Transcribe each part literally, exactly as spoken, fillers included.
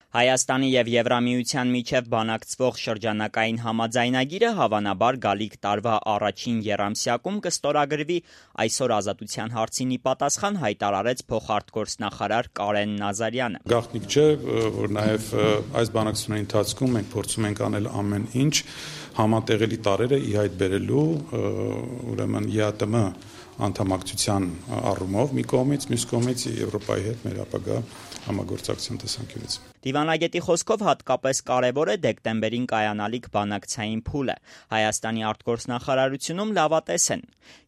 Հայաստանի և Եվրամիության միջև բանակցվող շրջանակային համաձայնագիրը հավանաբար գալիք տարվա առաջին եռամսյակում կստորագրվի, այսօր Ազատության հարցին ի պատասխան հայտարարեց փոխարտգործնախարար Կարեն Նազարյանը։ Գաղտնիք չէ, որ նաև այս բանակցությունների ընթացքում մենք փորձում ենք անել ամեն ինչ համատեղելի տարրերը ի հայտ բերելու, ուրեմն ԵԱՏՄ անդամակցության առումով մի կողմից, մյուս կողմից Եվրոպայի հետ մեր ապագա համագործակցության տեսանկյունից։ Դիվանագետի խոսքով հատկապես կարևոր է դեկտեմբերին կայանալիք բանակցային փուլը։ Հայաստանի արտգործնախարարությունում լավատես են։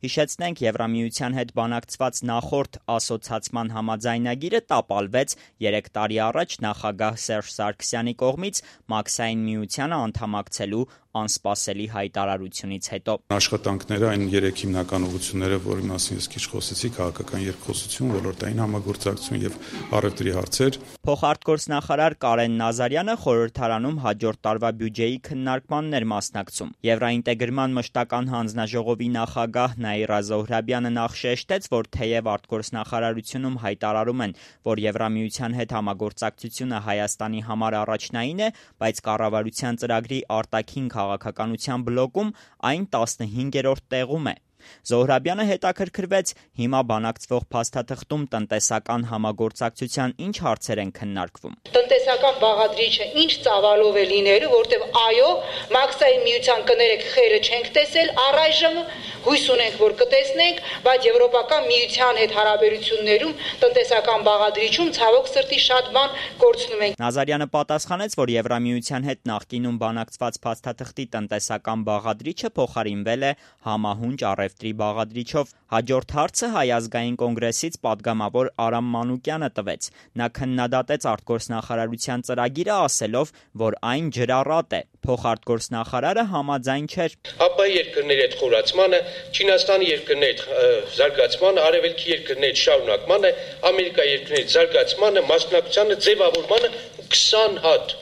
Հիշեցնենք, Եվրամիության հետ բանակցված նախորդ ասոցացման համաձայնագիրը տապալվեց երեք տարի առաջ նախագահ Սերժ Սարգսյանի կողմից Մաքսային միությանը անդամակցելու անսպասելի հայտարարությունից հետո։ Աշխատանքները, այն երեք հիմնական ուղղությունները, որի մասին ես քիչ խոսեցի, քաղաքական երկխոսություն, ոլորտային համագործակցություն եւ առևտրի հարցեր։ Փոխարտգործնախարար Կարեն Նազարյանը խորհրդարանում հաջորդ տարվա բյուջեի քննարկմանն էր մասնակցում։ Եվրաինտեգրման մշտական հանձնաժողովի նախագահ Նաիրա Զոհրաբյանը նախ շեշտեց, որ թեև արտգործնախարարությունում հայտարարում են, որ Եվրամիության հետ համագործակցությունը Հայաստանի համար առաջնային է, բայց կառավարության ծրագրի արտաքին քաղաքականության բլոկում այն տասնհինգերորդ տեղում է։ Զոհրաբյանը հետաքրքրվեց, հիմա բանակցվող փաստաթղթում տնտեսական համագործակցության ինչ հարցեր են քննարկվում։ Տնտեսական բաղադրիչը ինչ ծավալով է լինելու, որտեղ այո, Մաքսային միության կներեք խերը չենք տեսել առայժմ, հույս ունենք, որ կտեսնենք, բայց Եվրոպական միության հետ հարաբերություններում տնտեսական բաղադրիչում ցավոք սրտի շատ բան կորցնում ենք։ Նազարյանը պատասխանեց, որ Եվրամիության հետ նախկինում բանակցված փաստաթղթի տնտեսական բաղադրիչը փոխարինվել է համահունչ առևտրի բաղադրիչով։ Հաջորդ հարցը Հայ ազգային կոնգրեսից падգամավոր Արամ Մանուկյանը տվեց։ Նա քննադատեց արտգործնախարարության ծրագիրը, ասելով, որ այն ջրառատ է։ Փոխարտգործնախարարը համաձայն չէր։ Ապա երկրների հետ խորացմանը, Չինաստանի երկրների հետ զարգացմանը, արևելքի երկրների հետ շարունակմանը, Ամերիկա երկրների հետ զարգացմանը, մասնակցությանը, ձևավորմանը քսան հատ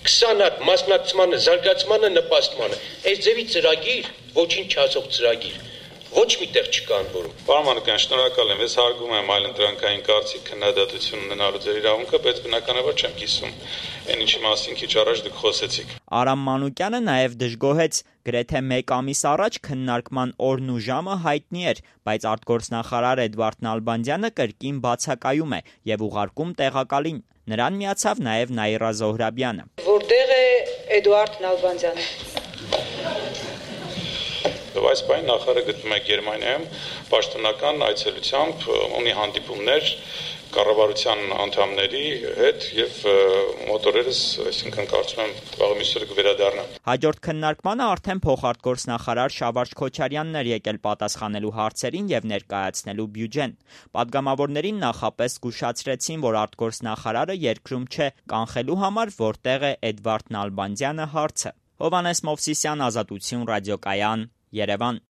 քսան հատ մասնակցմանը, զարգացմանը, նպաստմանը։ Այս ձևի ծրագիր, ոչինչ չասող ծրագիր, ոչ միտեղ չկա անորում։ Պարոն Մանուկյան, շնորհակալ եմ, ես հարգում եմ այլընտրանքային կարծիք քննադատություն ունենալու ձեր իրավունքը, բայց բնականաբար չեմ կիսում այն ինչի մասին քիչ առաջ դուք խոսեցիք։ Արամ Մանուկյանը նաև դժգոհեց, գրեթե մեկ ամիս առաջ քննարկման օրն ու ժամը հայտնի էր, բայց արտգործնախարար Էդվարդ Նալբանդյանը կրկին բացակայում է եւ ուղարկում տեղակալին։ Նրան միացավ նաև Նաիրա Զոհրաբյանը։ Որտեղ է Էդվարդ Նալբանդյանը։ Այս պայն նախարարը գտնվում է Գերմանիայում պաշտոնական այցելությամբ, ունի հանդիպումներ կառավարության անդամների հետ եւ մոտորերս, այսինքն կարծում եմ վաղը միսօրը կվերադառնա։ Հաջորդ քննարկմանը արդեն փոխարտգործնախարար Շավարժ Քոչարյանն էր եկել պատասխանելու հարցերին եւ ներկայացնելու բյուջեն։ Պատգամավորներին նախապես զգուշացրեցին, որ արտգործնախարարը երկրում չէ կանխելու համար, որտեղ է Էդվարդ Նալբանդյանը հարցը։ Հովհաննես Մովսիսյան, Ազատություն ռադիոկայան, Երևան։